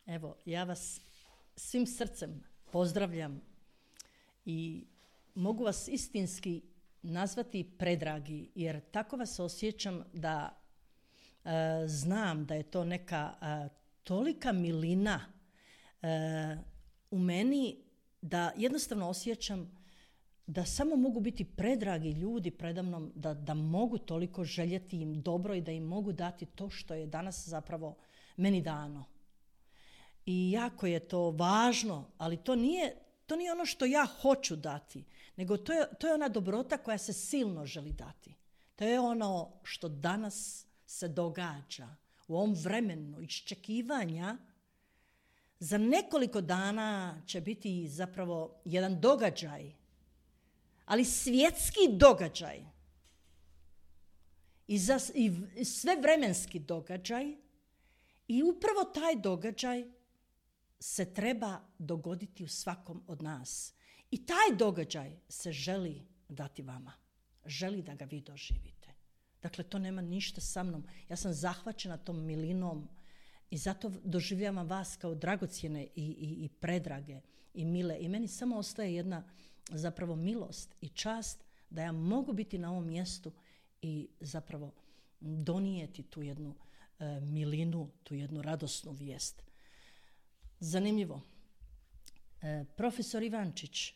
Evo, ja vas svim srcem pozdravljam i mogu vas istinski nazvati predragi, jer tako vas osjećam da znam da je to neka tolika milina u meni da jednostavno osjećam da samo mogu biti predragi ljudi predamnom, da mogu toliko željeti im dobro i da im mogu dati to što je danas zapravo meni dano. I jako je to važno, ali to nije ono što ja hoću dati, nego to je ona dobrota koja se silno želi dati. To je ono što danas se događa u ovom vremenu iščekivanja. Za nekoliko dana će biti zapravo jedan događaj, ali svjetski događaj i svevremenski događaj, i upravo taj događaj se treba dogoditi u svakom od nas. I taj događaj se želi dati vama. Želi da ga vi doživite. Dakle, to nema ništa sa mnom. Ja sam zahvaćena tom milinom i zato doživljavam vas kao dragocjene i predrage i mile. I meni samo ostaje jedna zapravo milost i čast da ja mogu biti na ovom mjestu i zapravo donijeti tu jednu milinu, tu jednu radosnu vijest. Zanimljivo. Profesor Ivančić,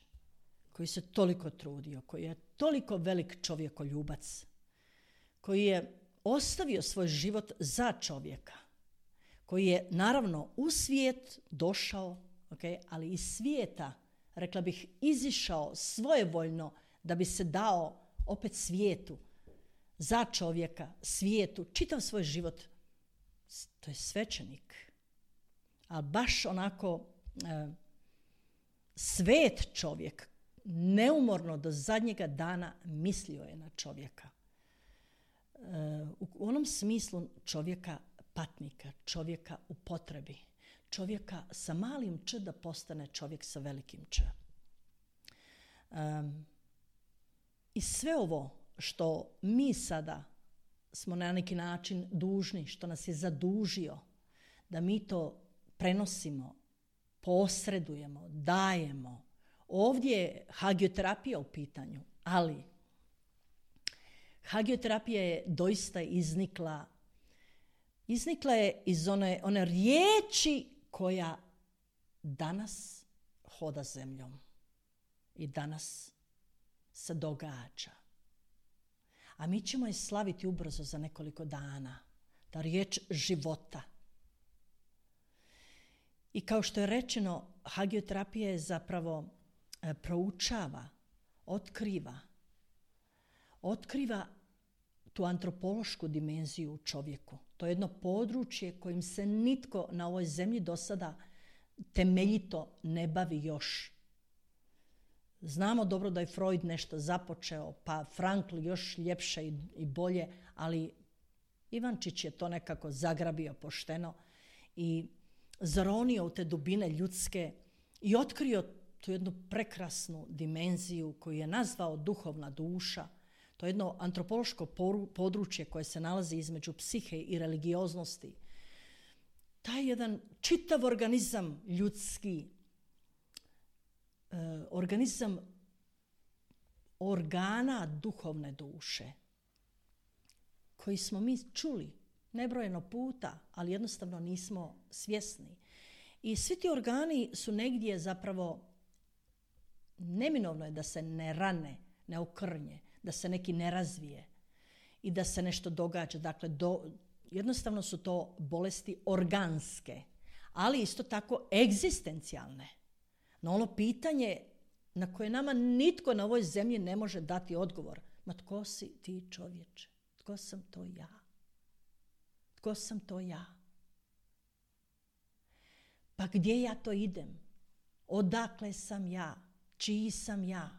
koji se toliko trudio, koji je toliko velik čovjekoljubac, koji je ostavio svoj život za čovjeka, koji je naravno u svijet došao, ali iz svijeta, rekla bih, izišao svojevoljno da bi se dao opet svijetu, za čovjeka, svijetu, čitav svoj život. To je svećenik. A baš onako svet čovjek, neumorno do zadnjega dana mislio je na čovjeka. U onom smislu čovjeka patnika, čovjeka u potrebi, čovjeka sa malim č da postane čovjek sa velikim č. I sve ovo što mi sada smo na neki način dužni, što nas je zadužio, da mi to prenosimo, posredujemo, dajemo. Ovdje je hagioterapija u pitanju, ali hagioterapija je doista iznikla je iz one riječi koja danas hoda zemljom i danas se događa. A mi ćemo je slaviti ubrzo za nekoliko dana. Ta riječ života. I kao što je rečeno, hagioterapija je zapravo proučava, otkriva tu antropološku dimenziju u čovjeku. To je jedno područje kojim se nitko na ovoj zemlji do sada temeljito ne bavi još. Znamo dobro da je Freud nešto započeo, pa Frankl još ljepše i bolje, ali Ivančić je to nekako zagrabio pošteno i zaronio u te dubine ljudske i otkrio tu jednu prekrasnu dimenziju koju je nazvao duhovna duša. To je jedno antropološko područje koje se nalazi između psihe i religioznosti. Taj jedan čitav organizam ljudski, organizam organa duhovne duše, koji smo mi čuli nebrojeno puta, ali jednostavno nismo svjesni. I svi ti organi su negdje zapravo, neminovno je da se ne rane, ne okrnje, da se neki ne razvije i da se nešto događa. Dakle, jednostavno su to bolesti organske, ali isto tako egzistencijalne. Na ono pitanje na koje nama nitko na ovoj zemlji ne može dati odgovor. Ma tko si ti, čovječe? Tko sam to ja? Tko sam to ja? Pa gdje ja to idem? Odakle sam ja? Čiji sam ja?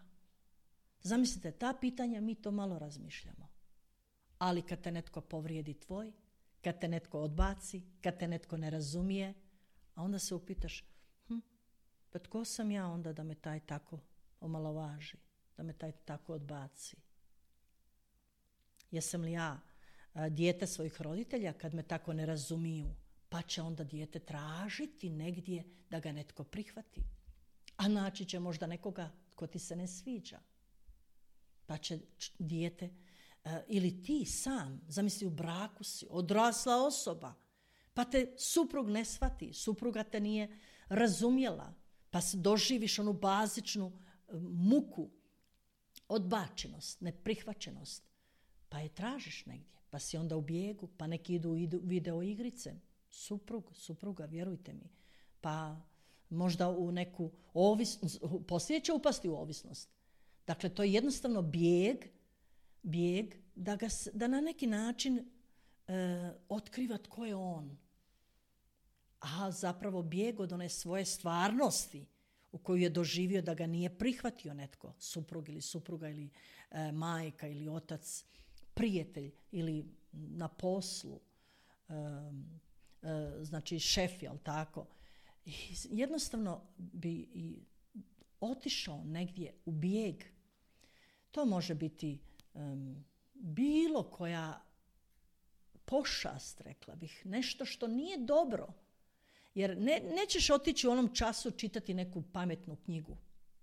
Zamislite, ta pitanja mi to malo razmišljamo. Ali kad te netko povrijedi tvoj, kad te netko odbaci, kad te netko ne razumije, a onda se upitaš, pa tko sam ja onda da me taj tako omalovaži, da me taj tako odbaci? Jesam li ja dijete svojih roditelja kad me tako ne razumiju? Pa će onda dijete tražiti negdje da ga netko prihvati. A naći će možda nekoga ko ti se ne sviđa. Pa će dijete, ili ti sam, zamisli u braku si, odrasla osoba, pa te suprug ne shvati, supruga te nije razumjela, pa doživiš onu bazičnu muku, odbačenost, neprihvaćenost, pa je tražiš negdje, pa si onda u bijegu, pa neki idu video igrice, supruga, vjerujte mi, pa možda u neku ovisnost, poslije će upasti u ovisnost. Dakle, to je jednostavno bijeg da na neki način otkriva tko je on. A zapravo bijeg od one svoje stvarnosti u koju je doživio da ga nije prihvatio netko, suprug ili supruga ili majka ili otac, prijatelj ili na poslu, znači šef, jel tako? I jednostavno bi i otišao negdje u bijeg. To može biti bilo koja pošast, rekla bih, nešto što nije dobro. Jer nećeš otići u onom času čitati neku pametnu knjigu.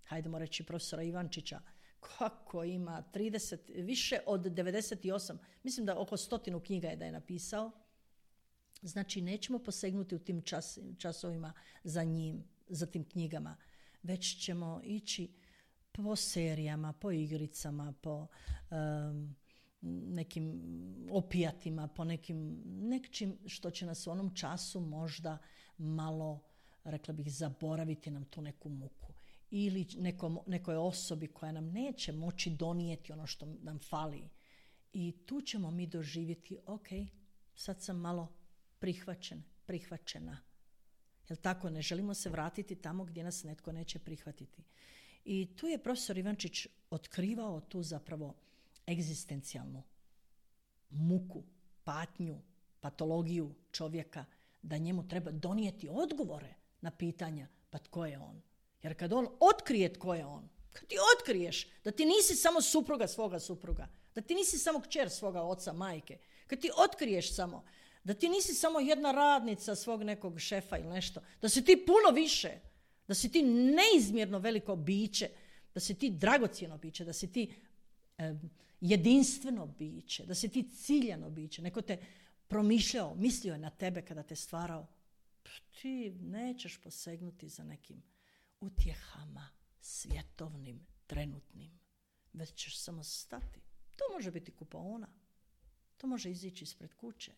Hajdemo reći profesora Ivančića, kako ima 30, više od 98, mislim da oko 100 knjiga je da je napisao. Znači, nećemo posegnuti u tim časovima za tim knjigama, već ćemo ići po serijama, po igricama, po nekim opijatima, po nečim što će nas u onom času možda malo, rekla bih, zaboraviti nam tu neku muku. Ili nekoj osobi koja nam neće moći donijeti ono što nam fali. I tu ćemo mi doživjeti, ok, sad sam malo prihvaćena. Jel tako? Ne želimo se vratiti tamo gdje nas netko neće prihvatiti. I tu je profesor Ivančić otkrivao tu zapravo egzistencijalnu muku, patnju, patologiju čovjeka, da njemu treba donijeti odgovore na pitanja, pa tko je on? Jer kad on otkrije tko je on, kad ti otkriješ da ti nisi samo supruga svoga supruga, da ti nisi samo kćer svoga oca, majke, kad ti otkriješ samo da ti nisi samo jedna radnica svog nekog šefa ili nešto, da si ti puno više, da si ti neizmjerno veliko biće, da si ti dragocjeno biće, da si ti jedinstveno biće, da si ti ciljano biće. Neko te promišljao, mislio je na tebe kada te stvarao. Ti nećeš posegnuti za nekim utjehama svjetovnim, trenutnim, već ćeš samo stati. To može biti kupaona, to može izići ispred kuće.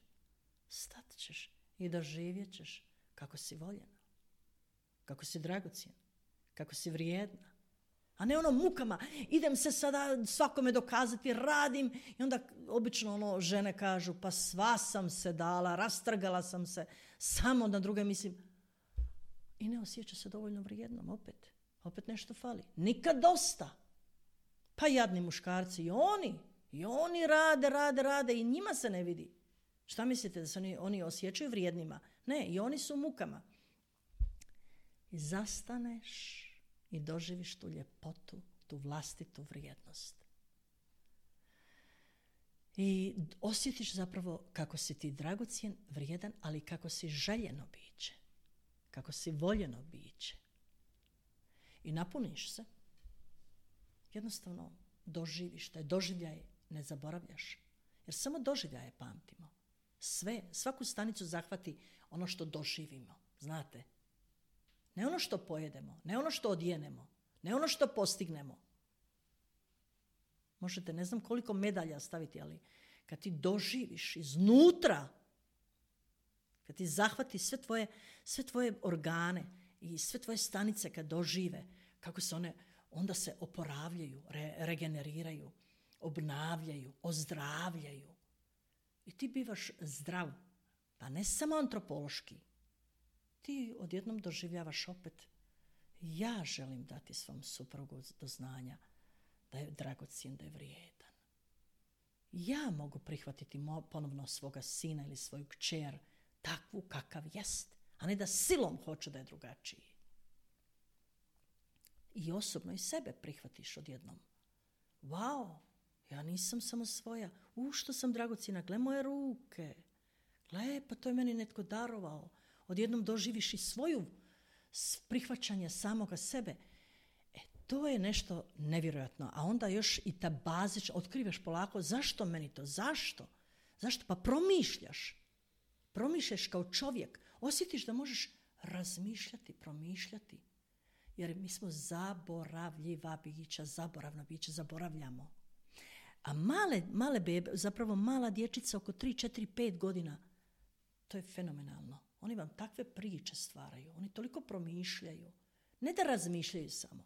Stat ćeš i doživjet ćeš kako si voljena, kako si dragocjena, kako si vrijedna. A ne ono mukama, idem se sada svakome dokazati, radim i onda obično žene kažu pa sva sam se dala, rastrgala sam se, samo na druge mislim. I ne osjeća se dovoljno vrijednom, opet nešto fali. Nikad dosta. Pa jadni muškarci i oni rade i njima se ne vidi. Šta mislite, da se oni osjećaju vrijednima? Ne, i oni su u mukama. I zastaneš i doživiš tu ljepotu, tu vlastitu vrijednost. I osjetiš zapravo kako si ti dragocjen, vrijedan, ali kako si željeno biće, kako si voljeno biće. I napuniš se. Jednostavno doživiš, taj doživljaj ne zaboravljaš. Jer samo doživljaje pamtimo. Svaku stanicu zahvati ono što doživimo, znate. Ne ono što pojedemo, ne ono što odjenemo, ne ono što postignemo. Možete ne znam koliko medalja staviti, ali kad ti doživiš iznutra, kad ti zahvati sve tvoje organe i sve tvoje stanice kad dožive, kako se one onda se oporavljaju, regeneriraju, obnavljaju, ozdravljaju. I ti bivaš zdrav, pa ne samo antropološki. Ti odjednom doživljavaš opet, ja želim dati svom suprugu do znanja da je dragocjen, da je vrijedan. Ja mogu prihvatiti ponovno svoga sina ili svoju kćer takvu kakav jest, a ne da silom hoću da je drugačiji. I osobno i sebe prihvatiš odjednom. Wow, ja nisam samo svoja. Što sam dragocjena, gle moje ruke, Gle, pa to je meni netko darovao. Odjednom doživiš i svoju prihvaćanje samoga sebe. To je nešto nevjerojatno. A onda još i ta bazična, otkrivaš polako, zašto meni to? Zašto? Zašto? Pa promišljaš. Promišljaš kao čovjek. Osjetiš da možeš razmišljati, promišljati. Jer mi smo zaboravljiva bića, zaboravna bića, zaboravljamo. A male bebe, zapravo mala dječica oko 3, 4, 5 godina, to je fenomenalno. Oni vam takve priče stvaraju. Oni toliko promišljaju. Ne da razmišljaju samo.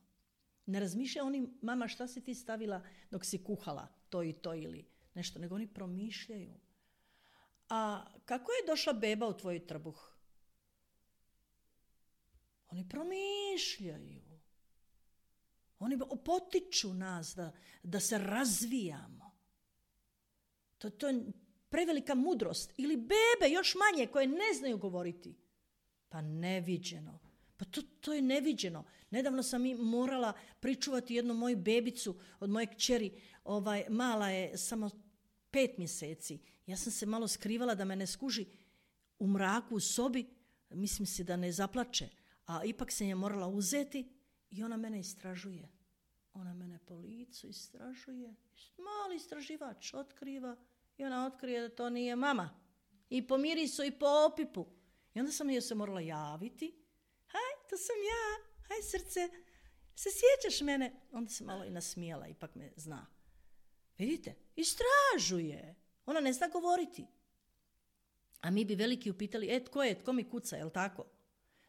Ne razmišljaju oni, mama, šta si ti stavila dok si kuhala to i to ili nešto, nego oni promišljaju. A kako je došla beba u tvoj trbuh? Oni promišljaju. Oni potiču nas da se razvijamo. To je prevelika mudrost. Ili bebe, još manje, koje ne znaju govoriti. Pa neviđeno. Pa to je neviđeno. Nedavno sam i morala pričuvati jednu moju bebicu od moje kćeri. Mala je samo 5 mjeseci. Ja sam se malo skrivala da me ne skuži u mraku u sobi. Mislim si da ne zaplače. A ipak sam je morala uzeti i ona mene istražuje. Ona mene po licu istražuje. Mali istraživač otkriva i ona otkrije da to nije mama. I po mirisu i po opipu. I onda sam joj se morala javiti. Haj, to sam ja. Haj, srce, se sjećaš mene? Onda se malo i nasmijala, ipak me zna. Vidite, istražuje. Ona ne zna govoriti. A mi bi veliki upitali, tko mi kuca, jel tako?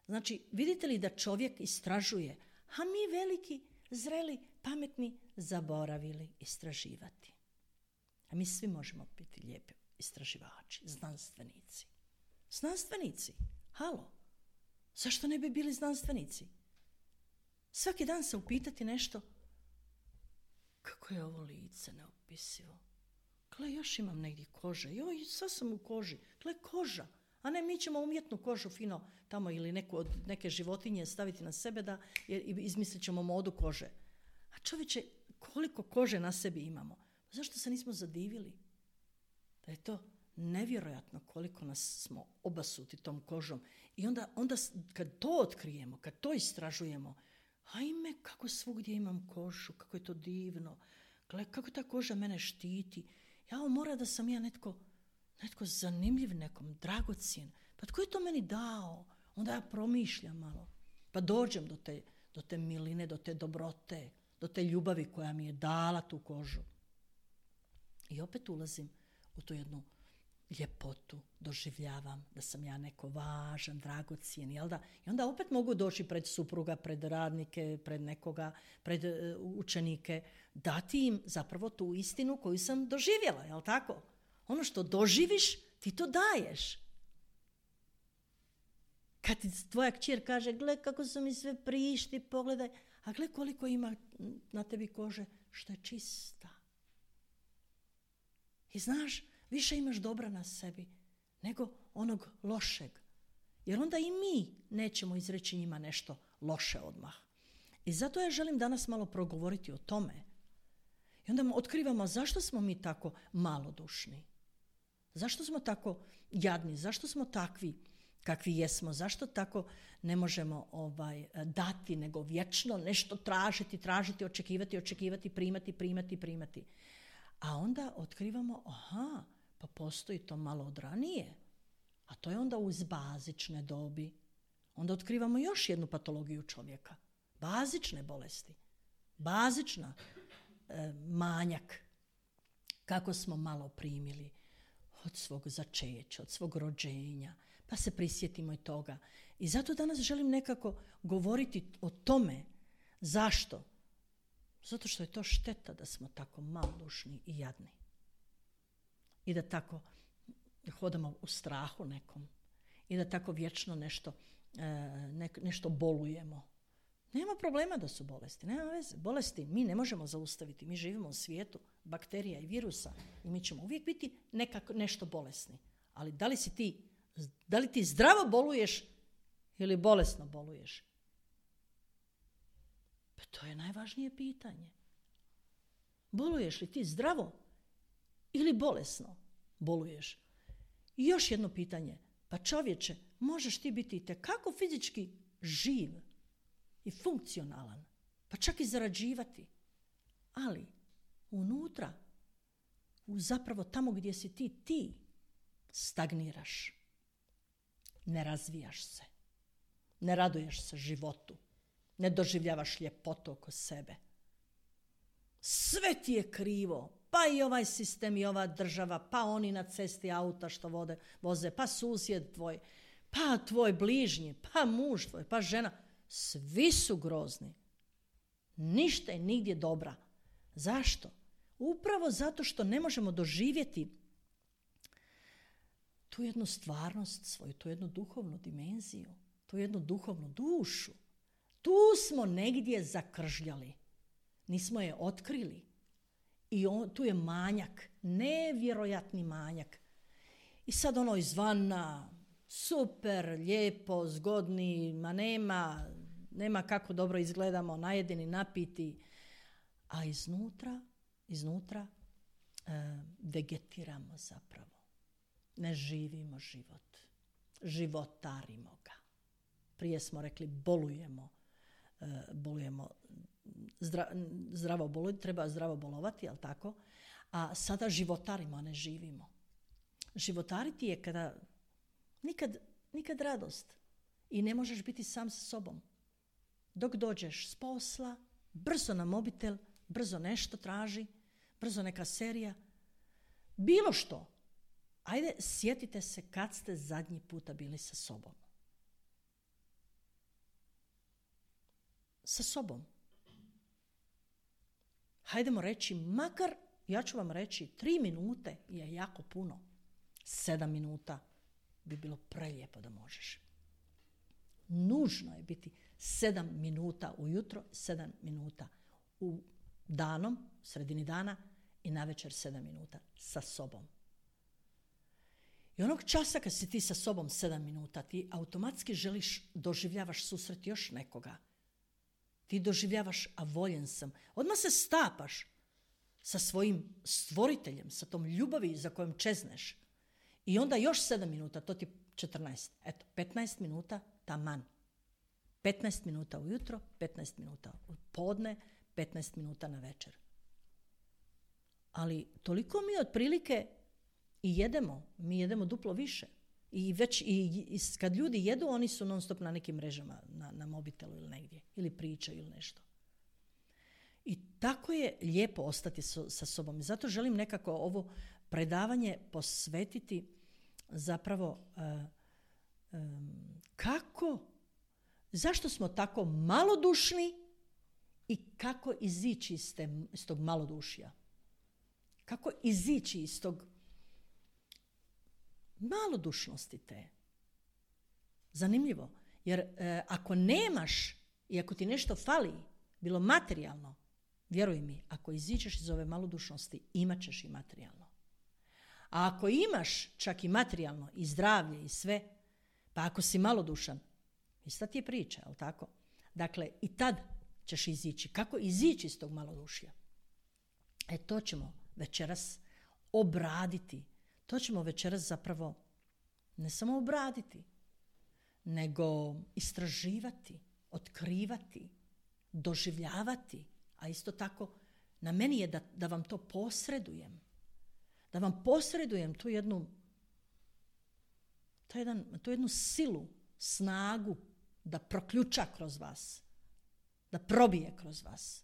Znači, vidite li da čovjek istražuje, a mi veliki, zreli, pametni, zaboravili istraživati. A mi svi možemo biti lijepi istraživači, znanstvenici. Znanstvenici, halo, zašto ne bi bili znanstvenici? Svaki dan se upitati nešto, kako je ovo lice neopisivo. Gle, još imam negdje kože, joj, sad sam u koži, gle, koža. A ne, mi ćemo umjetnu kožu fino tamo ili neke životinje staviti na sebe da izmislit ćemo modu kože. A čovječe, koliko kože na sebi imamo? Zašto se nismo zadivili? Da je to nevjerojatno koliko nas smo obasuti tom kožom. I onda kad to otkrijemo, kad to istražujemo, ajme, kako svugdje imam kožu, kako je to divno. Gle, kako ta koža mene štiti. Mora da sam ja netko zanimljiv nekom, dragocjen. Pa tko je to meni dao? Onda ja promišljam malo. Pa dođem do te miline, do te dobrote, do te ljubavi koja mi je dala tu kožu. I opet ulazim u tu jednu ljepotu, doživljavam da sam ja neko važan, dragocjen, jel da? I onda opet mogu doći pred supruga, pred radnike, pred nekoga, pred učenike, dati im zapravo tu istinu koju sam doživjela, jel tako? Ono što doživiš, ti to daješ. Kad ti tvoja kćer kaže, gle kako su mi sve prišti, pogledaj, a gle koliko ima na tebi kože što je čista. I znaš, više imaš dobra na sebi nego onog lošeg. Jer onda i mi nećemo izreći njima nešto loše odmah. I zato ja želim danas malo progovoriti o tome. I onda otkrivamo zašto smo mi tako malodušni. Zašto smo tako jadni? Zašto smo takvi kakvi jesmo? Zašto tako ne možemo dati, nego vječno nešto tražiti, očekivati, primati? A onda otkrivamo, pa postoji to malo od ranije. A to je onda uz bazične dobi. Onda otkrivamo još jednu patologiju čovjeka. Bazične bolesti. Bazična manjak. Kako smo malo primili od svog začeća, od svog rođenja, pa se prisjetimo i toga. I zato danas želim nekako govoriti o tome. Zašto? Zato što je to šteta da smo tako malodušni i jadni. I da tako hodamo u strahu nekom. I da tako vječno nešto bolujemo. Nema problema da su bolesti, nema veze. Bolesti mi ne možemo zaustaviti. Mi živimo u svijetu bakterija i virusa i mi ćemo uvijek biti nešto bolesni. Ali da li ti zdravo boluješ ili bolesno boluješ? Pa to je najvažnije pitanje. Boluješ li ti zdravo ili bolesno boluješ? I još jedno pitanje. Pa čovječe, možeš ti biti itekako fizički živ i funkcionalan, pa čak i zarađivati. Ali unutra, zapravo tamo gdje si ti stagniraš. Ne razvijaš se. Ne raduješ se životu. Ne doživljavaš ljepotu oko sebe. Sve ti je krivo. Pa i ovaj sistem i ova država, pa oni na cesti auta što voze, pa susjed tvoj, pa tvoj bližnji, pa muž tvoj, pa žena. Svi su grozni. Ništa je nigdje dobra. Zašto? Upravo zato što ne možemo doživjeti tu jednu stvarnost svoju, tu jednu duhovnu dimenziju, tu jednu duhovnu dušu. Tu smo negdje zakržljali. Nismo je otkrili. I tu je manjak, nevjerojatni manjak. I sad ono izvana, super, lijepo, zgodni, ma nema kako dobro izgledamo, najedini, napiti. A iznutra vegetiramo zapravo. Ne živimo život. Životarimo ga. Prije smo rekli bolujemo. Treba zdravo bolovati, jel tako? A sada životarimo, a ne živimo. Životariti je kada nikad radost i ne možeš biti sam sa sobom. Dok dođeš s posla, brzo na mobitel, brzo nešto traži, brzo neka serija, bilo što. Ajde, sjetite se kad ste zadnji puta bili sa sobom. Sa sobom. Hajdemo reći, makar, ja ću vam reći, 3 minute je jako puno. 7 minuta bi bilo prelijepo da možeš. Nužno je biti 7 minuta ujutro, 7 minuta u danom, sredini dana i navečer 7 minuta sa sobom. I onog časa kad si ti sa sobom 7 minuta, ti automatski doživljavaš susret još nekoga. Ti doživljavaš, a voljen sam. Odmah se stapaš sa svojim stvoriteljem, sa tom ljubavi za kojom čezneš. I onda još 7 minuta, to ti 14. Eto, 15 minuta taman. 15 minuta ujutro, 15 minuta u podne, 15 minuta na večer. Ali toliko mi otprilike i jedemo. Mi jedemo duplo više. I već kad ljudi jedu, oni su non stop na nekim mrežama, na mobitelu ili negdje. Ili pričaju ili nešto. I tako je lijepo ostati sa sobom. I zato želim nekako ovo predavanje posvetiti zapravo zašto smo tako malodušni i kako izići iz tog malodušja. Kako izići iz tog malodušnosti te. Zanimljivo. Jer ako nemaš i ako ti nešto fali, bilo materijalno, vjeruj mi, ako iziđeš iz ove malodušnosti, imat ćeš i materijalno. A ako imaš čak i materijalno, i zdravlje, i sve, pa ako si malodušan, ista ti je priča, jel tako? Dakle, i tad ćeš izići. Kako izići iz tog malodušja? To ćemo večeras obraditi. To ćemo večeras zapravo ne samo obraditi, nego istraživati, otkrivati, doživljavati, a isto tako na meni je da vam to posredujem. Da vam posredujem tu jednu silu, snagu da proključa kroz vas, da probije kroz vas,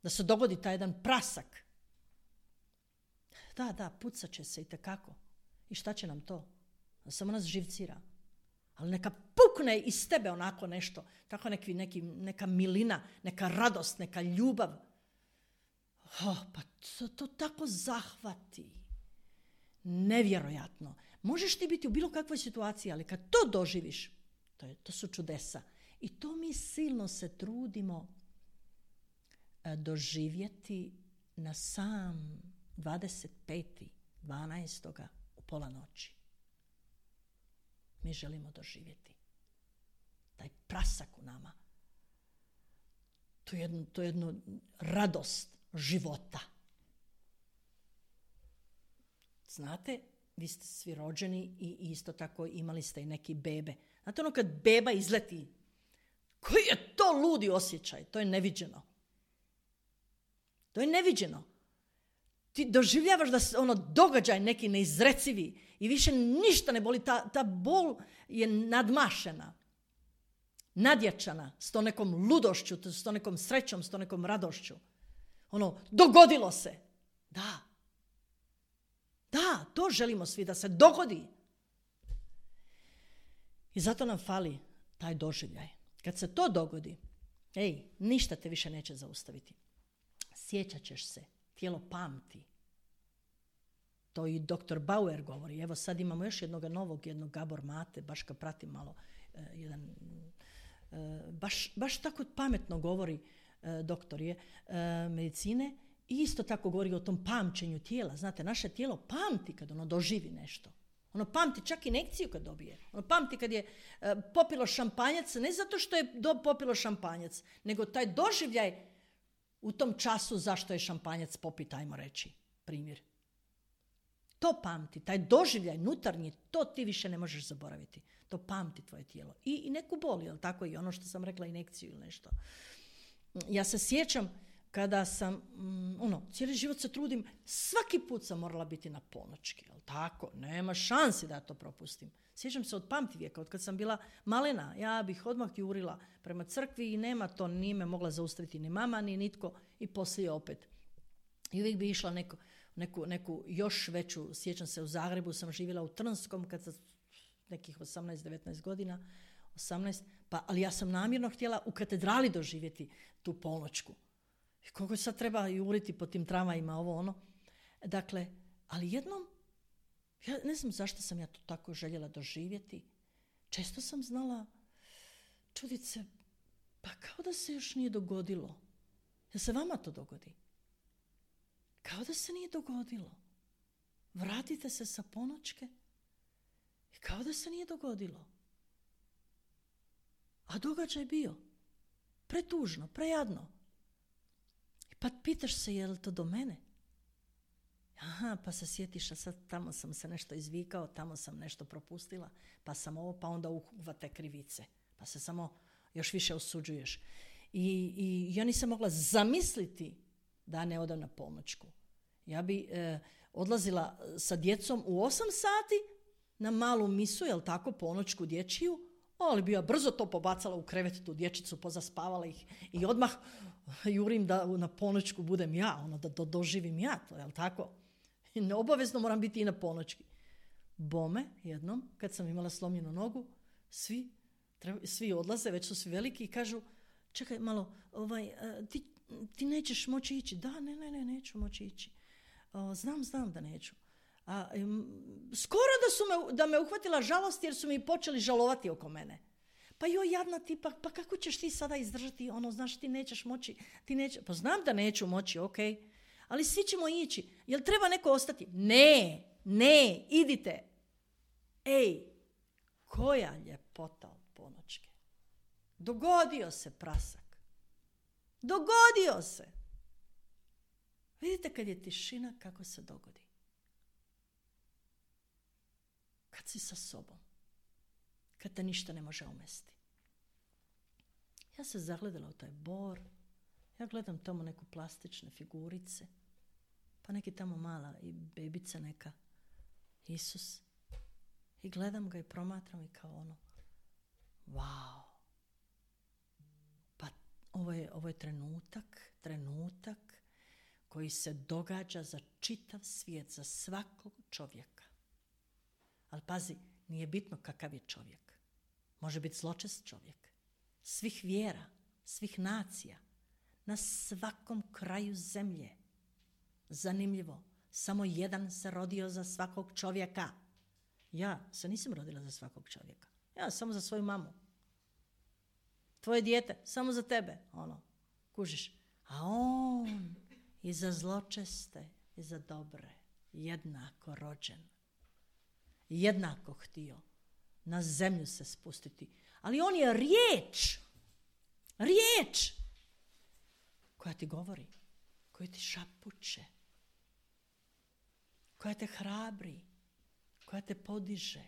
da se dogodi taj jedan prasak. Da, pucat će se itekako. I šta će nam to? Samo nas živcira. Ali neka pukne iz tebe onako nešto, tako neka milina, neka radost, neka ljubav. Pa to tako zahvati. Nevjerojatno. Možeš ti biti u bilo kakvoj situaciji, ali kad to doživiš, to su čudesa. I to mi silno se trudimo doživjeti na sam 25.12. u pola noći. Mi želimo doživjeti taj prasak u nama. To jednu radost života. Znate, vi ste svi rođeni i isto tako imali ste i neki bebe. Znate ono kad beba izleti, koji je to ludi osjećaj, to je neviđeno. To je neviđeno. Ti doživljavaš da se događaj neki neizrecivi i više ništa ne boli, ta bol je nadmašena, nadjačana s to nekom ludošću, s to nekom srećom, s to nekom radošću. Dogodilo se. Da, to želimo svi, da se dogodi. I zato nam fali taj doživljaj. Kad se to dogodi, ništa te više neće zaustaviti. Sjećat ćeš se, tijelo pamti. To i dr. Bauer govori. Evo sad imamo još jednog Gabor Mate, baš ga pratim malo, baš tako pametno govori doktor je medicine i isto tako govori o tom pamćenju tijela. Znate, naše tijelo pamti kad doživi nešto. Ono pamti čak injekciju kad dobije. Ono pamti kad je popilo šampanjac, ne zato što je popilo šampanjac, nego taj doživljaj u tom času zašto je šampanjac popit, ajmo reći, primjer. To pamti, taj doživljaj nutarnji, to ti više ne možeš zaboraviti. To pamti tvoje tijelo. I neku bol, jel tako? I ono što sam rekla, injekciju ili nešto. Ja se sjećam kada sam, cijeli život se trudim, svaki put sam morala biti na ponoćki, jel tako? Nema šansi da ja to propustim. Sjećam se od pamtivijeka, od kad sam bila malena, ja bih odmah jurila prema crkvi i nema to, nije me mogla zaustaviti ni mama, ni nitko i poslije opet. I uvijek bi išla neku još veću, sjećam se u Zagrebu, sam živjela u Trnskom kad sam nekih 18-19 godina, 18, ali ja sam namjerno htjela u katedrali doživjeti tu ponoćku. I koliko sad treba juriti po tim tramvajima, ovo ono. Dakle, ali jednom, ja ne znam zašto sam ja to tako željela doživjeti. Često sam znala čudit se, pa kao da se još nije dogodilo. Da se vama to dogodi. Kao da se nije dogodilo. Vratite se sa ponoćke i kao da se nije dogodilo. A događaj bio. Pretužno, prejadno. Pa pitaš se je li to do mene? Aha, pa se sjetiš, a sad tamo sam se nešto izvikao, tamo sam nešto propustila, pa sam ovo, pa onda uhvate krivice. Pa se samo još više osuđuješ. I ja nisam mogla zamisliti da ne odam na ponoćku. Ja bi odlazila sa djecom u 8 sati na malu misu, jel tako, ponoćku dječju, ali bi ja brzo to pobacala u krevet, tu dječicu, pozaspavala ih i odmah jurim da na ponoćku budem ja, da doživim ja to, jel tako? I obavezno moram biti i na ponoćki. Bome, jednom, kad sam imala slomljenu nogu, svi odlaze, već su svi veliki i kažu, čekaj malo, ti nećeš moći ići. Da, ne, neću moći ići. Znam da neću. Skoro da me uhvatila žalost jer su mi počeli žalovati oko mene. Pa joj, jadna ti, pa kako ćeš ti sada izdržati, znaš, ti nećeš moći, pa znam da neću moći, ok, ali svi ćemo ići. Jel treba neko ostati? Ne, idite. Koja ljepota od ponoćke. Dogodio se prasak. Dogodio se. Vidite kad je tišina kako se dogodi. Kad si sa sobom. Kad te ništa ne može omesti. Ja se zagledala u taj bor. Ja gledam tamo neku plastične figurice. Pa neki tamo mala i bebica neka. Isus. I gledam ga i promatram i kao wow. Pa ovo je trenutak koji se događa za čitav svijet, za svakog čovjeka. Ali pazi, nije bitno kakav je čovjek. Može biti zločest čovjek. Svih vjera, svih nacija, na svakom kraju zemlje. Zanimljivo, samo jedan se rodio za svakog čovjeka. Ja se nisam rodila za svakog čovjeka. Ja samo za svoju mamu. Tvoje dijete, samo za tebe, kužiš. A on i za zločeste i za dobre, jednako rođen. Jednako htio na zemlju se spustiti. Ali on je riječ koja ti govori, koja ti šapuće, koja te hrabri, koja te podiže,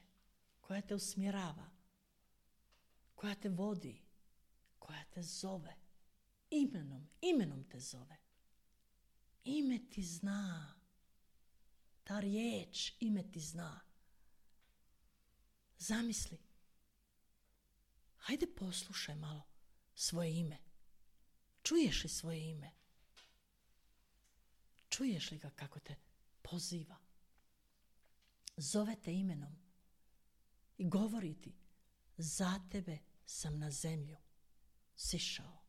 koja te usmjerava, koja te vodi, koja te zove. Imenom te zove. Ime ti zna. Ta riječ, ime ti zna. Zamisli. Hajde poslušaj malo svoje ime. Čuješ li svoje ime? Čuješ li ga kako te poziva? Zove te imenom i govori ti, za tebe sam na zemlju sišao.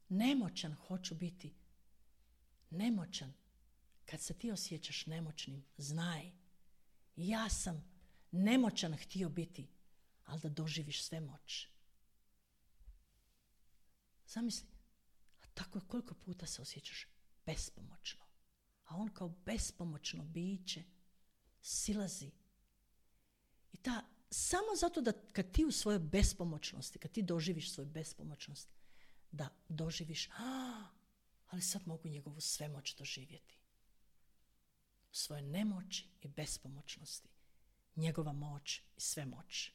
Nemoćan hoću biti. Nemoćan. Kad se ti osjećaš nemoćnim, znaj, ja sam nemoćan htio biti, ali da doživiš sve moć. Zamisli, a tako koliko puta se osjećaš bespomoćno. A on kao bespomoćno biće silazi. I samo zato da kad ti u svojoj bespomoćnosti, kad ti doživiš svoju bespomoćnost, da doživiš, ali sad mogu njegovu svemoć doživjeti. U svojoj nemoći i bespomoćnosti. Njegova moć i svemoć.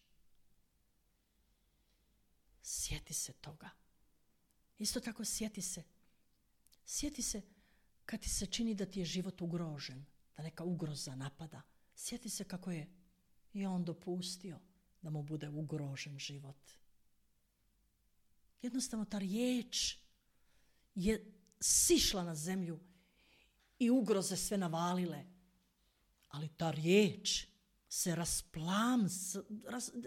Sjeti se toga. Isto tako sjeti se kad ti se čini da ti je život ugrožen, da neka ugroza napada. Sjeti se kako je i on dopustio da mu bude ugrožen život. Jednostavno ta riječ je sišla na zemlju i ugroze sve navalile. Ali ta riječ se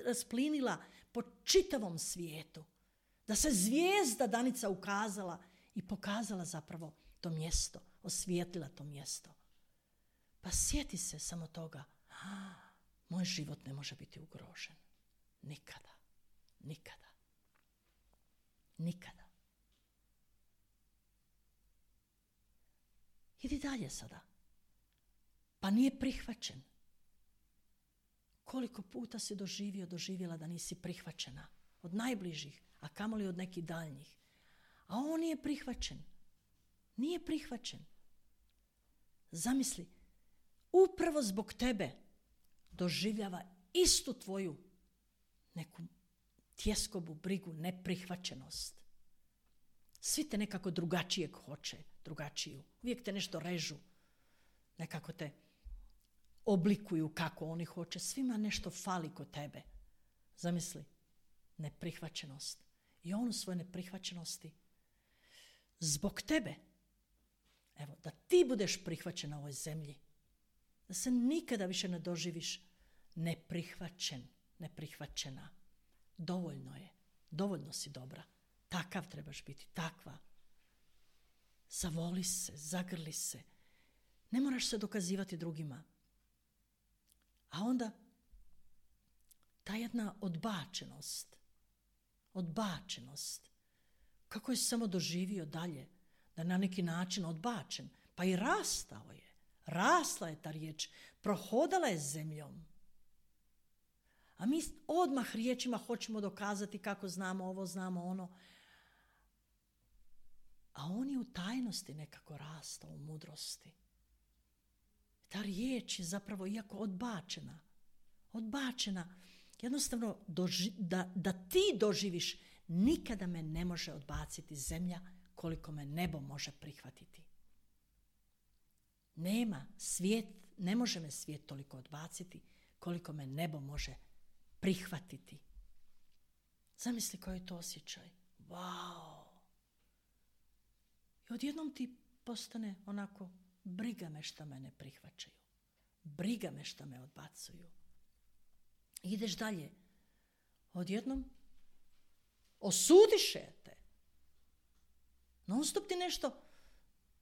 rasplinila po čitavom svijetu. Da se zvijezda Danica ukazala i pokazala zapravo to mjesto, osvijetlila to mjesto. Pa sjeti se samo toga, moj život ne može biti ugrožen. Nikada, nikada, nikada. Idi dalje sada. Pa nije prihvaćen. Koliko puta si doživjela da nisi prihvaćena od najbližih, a kamoli od nekih daljnjih. A on nije prihvaćen. Nije prihvaćen. Zamisli, upravo zbog tebe doživljava istu tvoju neku tjeskobu, brigu, neprihvaćenost. Svi te nekako drugačijeg hoće, drugačiju. Uvijek te nešto režu. Nekako te oblikuju kako oni hoće. Svima nešto fali kod tebe. Zamisli, neprihvaćenost. I on u svojoj neprihvaćenosti zbog tebe, evo, da ti budeš prihvaćen na ovoj zemlji, da se nikada više ne doživiš neprihvaćena. Dovoljno je, dovoljno si dobra. Takav trebaš biti, takva. Zavoli se, zagrli se. Ne moraš se dokazivati drugima. A onda ta jedna odbačenost, kako je samo doživio dalje, da na neki način odbačen, pa i rastao je. Rasla je ta riječ, prohodala je zemljom. A mi odmah riječima hoćemo dokazati kako znamo ovo, znamo ono. A on je u tajnosti nekako rastao, u mudrosti. Ta riječ je zapravo, iako odbačena, jednostavno da ti doživiš, nikada me ne može odbaciti zemlja koliko me nebo može prihvatiti. Ne može me svijet toliko odbaciti koliko me nebo može prihvatiti. Zamisli koji je to osjećaj. Wow! I odjednom ti postane onako, briga me šta me ne prihvaćaju. Briga me šta me odbacuju. I ideš dalje. Odjednom osudiše te. Non stop ti nešto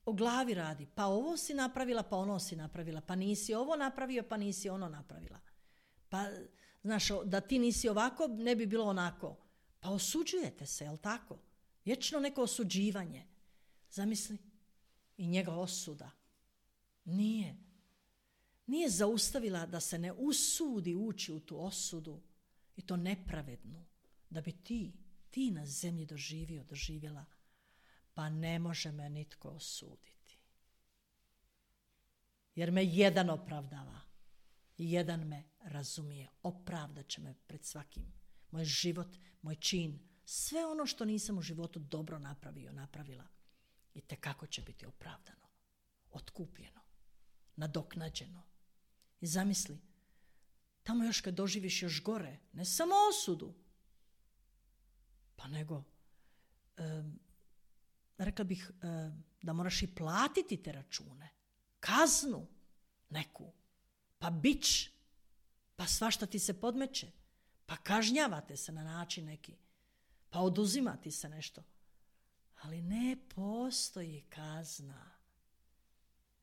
o glavi radi. Pa ovo si napravila, pa ono si napravila. Pa nisi ovo napravio, pa nisi ono napravila. Pa, znaš, da ti nisi ovako, ne bi bilo onako. Pa osuđujete se, jel tako? Vječno neko osuđivanje. Zamisli. I njega osuda. Nije zaustavila da se ne usudi ući u tu osudu i to nepravednu. Da bi ti na zemlji doživjela. Pa ne može me nitko osuditi. Jer me jedan opravdava. jedan me razumije, opravdat će me pred svakim. Moj život, moj čin, sve ono što nisam u životu dobro napravila, i tekako će biti opravdano, otkupljeno, nadoknađeno. I zamisli, tamo još kad doživiš još gore, ne samo osudu, pa nego, rekla bih, da moraš i platiti te račune, kaznu neku, pa bič, pa svašta ti se podmeće, pa kažnjavate se na način neki, pa oduzimati se nešto. Ali ne postoji kazna.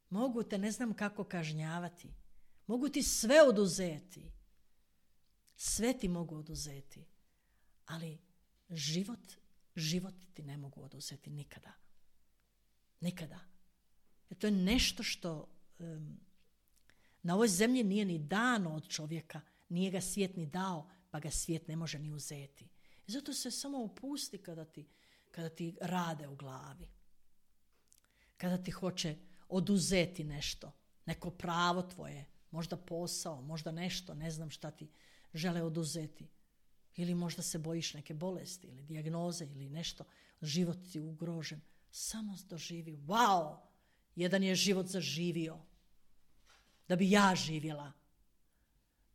Mogu te ne znam kako kažnjavati. Mogu ti sve oduzeti. Sve ti mogu oduzeti. Ali život ti ne mogu oduzeti nikada. Nikada. Jer to je nešto što na ovoj zemlji nije ni dano od čovjeka. Nije ga svijet ni dao, pa ga svijet ne može ni uzeti. I zato se samo opusti kada ti rade u glavi. Kada ti hoće oduzeti nešto, neko pravo tvoje, možda posao, možda nešto, ne znam šta ti žele oduzeti. Ili možda se bojiš neke bolesti ili dijagnoze ili nešto, život ti ugrožen. Samo doživi, wow, jedan je život zaživio, da bi ja živjela.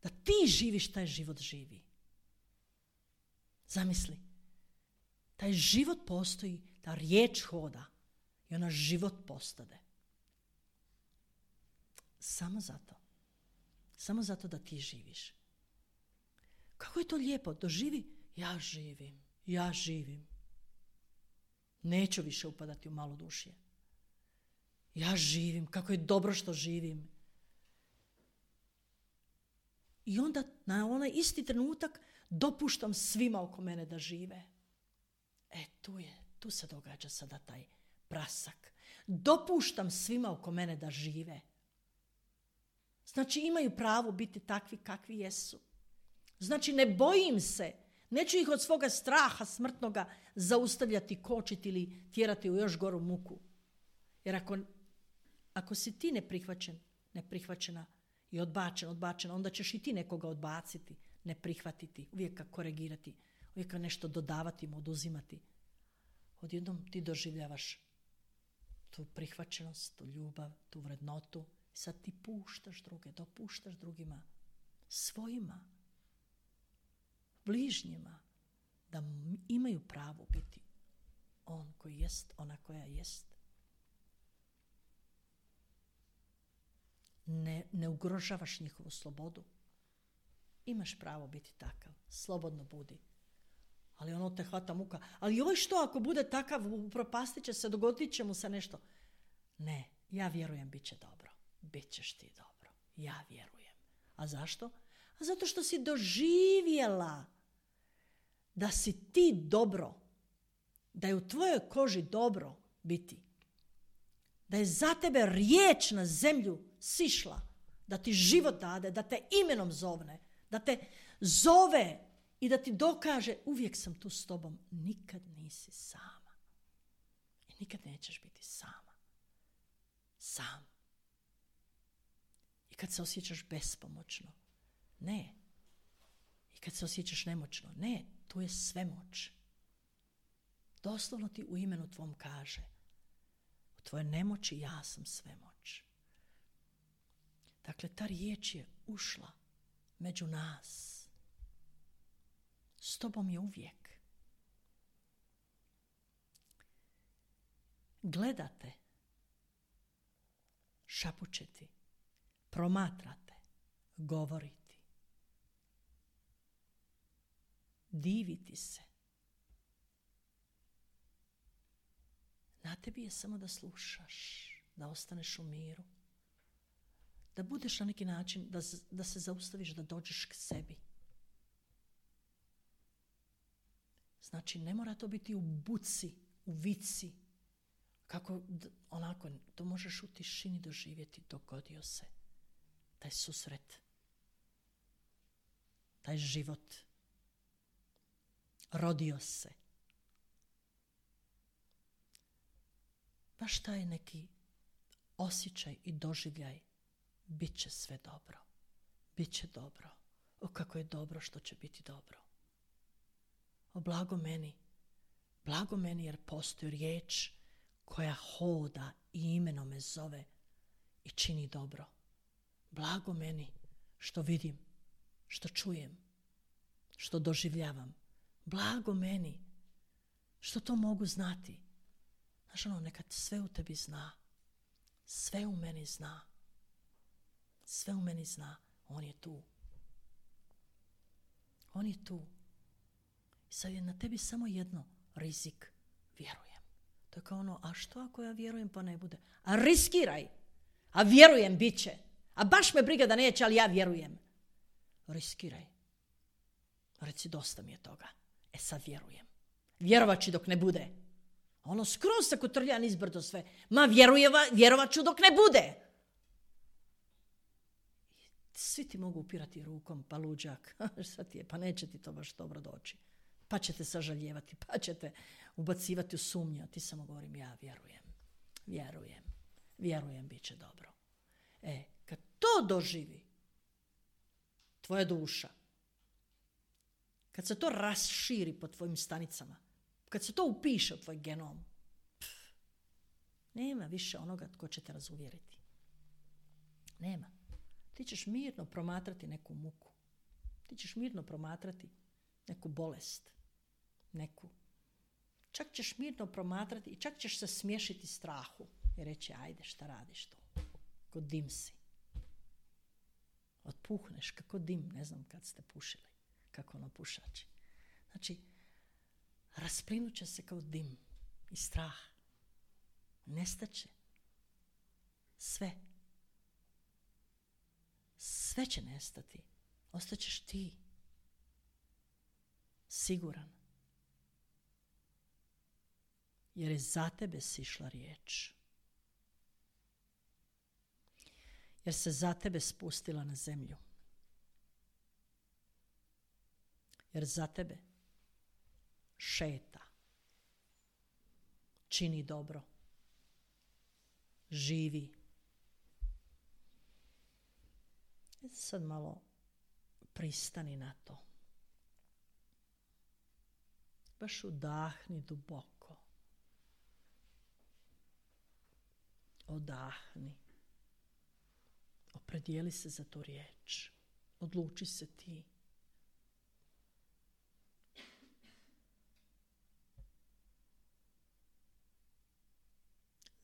Da ti živiš, taj život živi. Zamisli, taj život postoji, ta riječ hoda i ona život postade. Samo zato da ti živiš. Kako je to lijepo, doživi, ja živim. Neću više upadati u malodušje. Ja živim, kako je dobro što živim. I onda na onaj isti trenutak dopuštam svima oko mene da žive. Tu se događa sada taj prasak. Dopuštam svima oko mene da žive. Znači imaju pravo biti takvi kakvi jesu. Znači ne bojim se, neću ih od svoga straha smrtnoga zaustavljati, kočiti ili tjerati u još goru muku. Jer ako si ti neprihvaćena i odbačena, onda ćeš i ti nekoga odbaciti, ne prihvatiti, uvijek ga korigirati, uvijek ga nešto dodavati mu, oduzimati. Odjednom ti doživljavaš tu prihvaćenost, tu ljubav, tu vrednotu. Sad ti puštaš druge, dopuštaš drugima, svojima, bližnjima, da imaju pravo biti on koji jest, ona koja jest. Ne ugrožavaš njihovu slobodu. Imaš pravo biti takav, slobodno budi. Ali ono te hvata muka. Ali joj što ako bude takav, upropastit će se, dogodit će mu se nešto. Ne, ja vjerujem bit će dobro. Bit ćeš ti dobro. Ja vjerujem. A zašto? A zato što si doživjela da si ti dobro. Da je u tvojoj koži dobro biti. Da je za tebe riječ na zemlju sišla. Da ti život dade, da te imenom zovne. Da te zove i da ti dokaže uvijek sam tu s tobom. Nikad nisi sama. I nikad nećeš biti sama. Sam. I kad se osjećaš bespomoćno. Ne. I kad se osjećaš nemoćno. Ne. Tu je svemoć. Doslovno ti u imenu tvom kaže. U tvojoj nemoći ja sam svemoć. Dakle, ta riječ je ušla među nas. S tobom je uvijek. Gledate, šapućeti, promatrate, govoriti, diviti se. Na tebi je samo da slušaš, da ostaneš u miru, da budeš na neki način, da se zaustaviš, da dođeš k sebi. Znači, ne mora to biti u buci, u vici. Kako, onako, to možeš u tišini doživjeti. Dogodio se taj susret, taj život. Rodio se. Baš taj neki osjećaj i doživljaj. Bit će sve dobro. Biće dobro. O, kako je dobro što će biti dobro. O, blago meni jer postoji riječ koja hoda i imenom me zove i čini dobro. Blago meni što vidim, što čujem, što doživljavam. Blago meni što to mogu znati. Znaš ono, nekad sve u tebi zna. Sve u meni zna. Sve u meni zna. On je tu. On je tu. I sad je na tebi samo jedno, rizik. Vjerujem. To je kao ono, a što ako ja vjerujem pa ne bude? A riskiraj. A vjerujem, bit će. A baš me briga da neće, ali ja vjerujem. Riskiraj. Reci, dosta mi je toga. E sad vjerujem. Vjerovat ću dok ne bude. Ono skroz se kotrlja nizbrdo sve. Ma vjerovat ću dok ne bude. Svi ti mogu upirati rukom, pa luđak. Šta ti je? Pa neće ti to baš dobro doći. Pa ćete sažaljevati, pa ćete ubacivati u sumnju. A ti samo govorim, ja vjerujem, bit će dobro. Kad to doživi tvoja duša, kad se to raširi po tvojim stanicama, kad se to upiše u tvoj genom, nema više onoga tko će te razuvjeriti. Nema. Ti ćeš mirno promatrati neku muku. Ti ćeš mirno promatrati neku bolest. Čak ćeš mirno promatrati i čak ćeš se smješiti strahu i reći, ajde, šta radiš to? Ko dim si. Otpuhneš kako dim, ne znam kad ste pušili, kako ono pušači. Znači, rasplinut će se kao dim i strah. Nestaće. Sve. Sve će nestati. Ostaćeš ti. Siguran. Jer je za tebe sišla riječ. Jer se za tebe spustila na zemlju. Jer za tebe šeta. Čini dobro. Živi. Sad malo pristani na to. Baš udahni duboko. Odahni. Opredijeli se za tu riječ. Odluči se ti.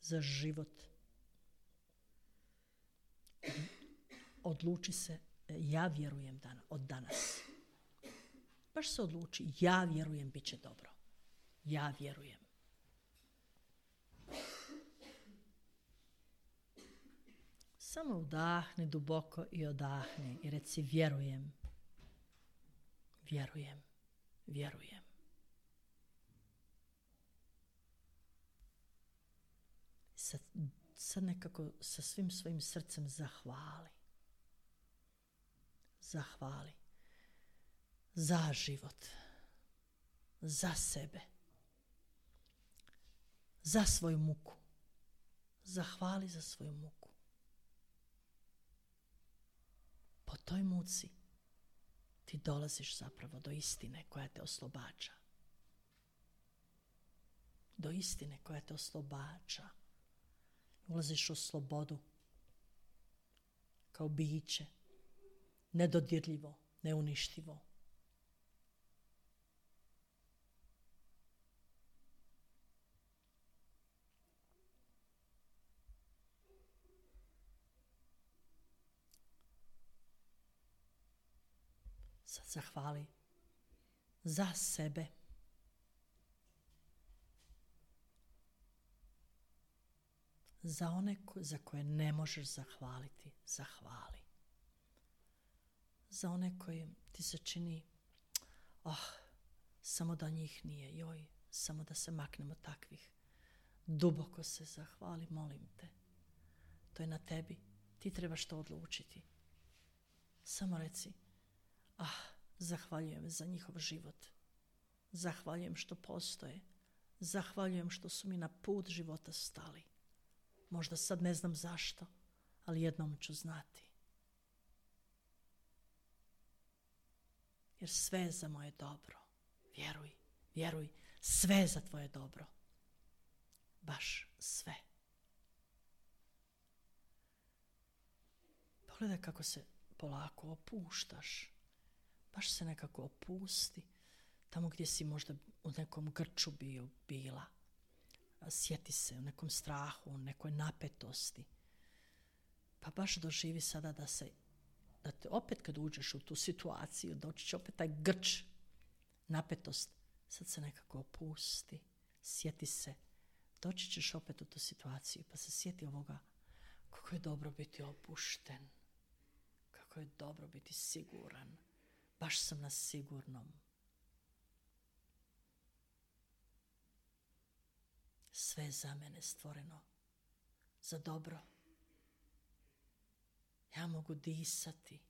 Za život. Odluči se, ja vjerujem od danas. Baš se odluči, ja vjerujem, bit će dobro. Ja vjerujem. Samo udahni duboko i odahni i reci vjerujem. Vjerujem. Vjerujem. Sad nekako sa svim svojim srcem zahvali. Zahvali. Za život. Za sebe. Za svoju muku. Zahvali za svoju muku. Po toj muci ti dolaziš zapravo do istine koja te oslobađa. Do istine koja te oslobađa. Ulaziš u slobodu kao biće, nedodirljivo, neuništivo. Sad zahvali za sebe. Za one za koje ne možeš zahvaliti, zahvali. Za one koje ti se čini, samo da njih nije, joj, samo da se maknemo takvih. Duboko se zahvali, molim te. To je na tebi, ti trebaš to odlučiti. Samo reci, zahvaljujem za njihov život. Zahvaljujem što postoje. Zahvaljujem što su mi na put života stali. Možda sad ne znam zašto, ali jednom ću znati. Jer sve je za moje dobro. Vjeruj, vjeruj, sve je za tvoje dobro. Baš sve. Pogledaj kako se polako opuštaš. Baš se nekako opusti. Tamo gdje si možda u nekom grču bila. Sjeti se u nekom strahu, u nekoj napetosti. Pa baš doživi sada da te opet kad uđeš u tu situaciju, doći će opet taj grč, napetost. Sad se nekako opusti. Sjeti se. Doći ćeš opet u tu situaciju. Pa se sjeti ovoga. Kako je dobro biti opušten. Kako je dobro biti siguran. Baš sam na sigurnom. Sve je za mene stvoreno. Za dobro. Ja mogu disati.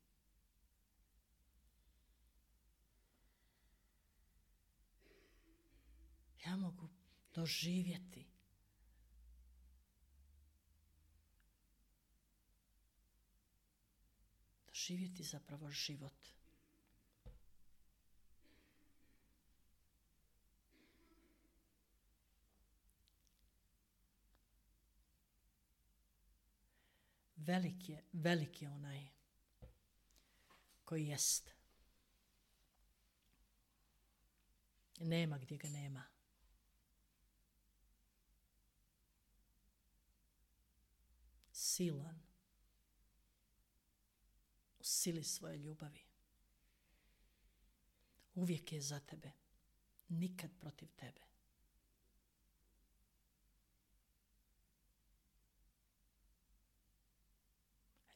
Ja mogu doživjeti. Doživjeti zapravo život. Velik je onaj koji jest. Nema gdje ga nema. Silan. U sili svoje ljubavi. Uvijek je za tebe. Nikad protiv tebe.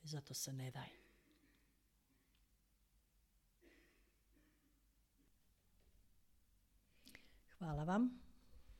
Zato se ne daj. Hvala vam.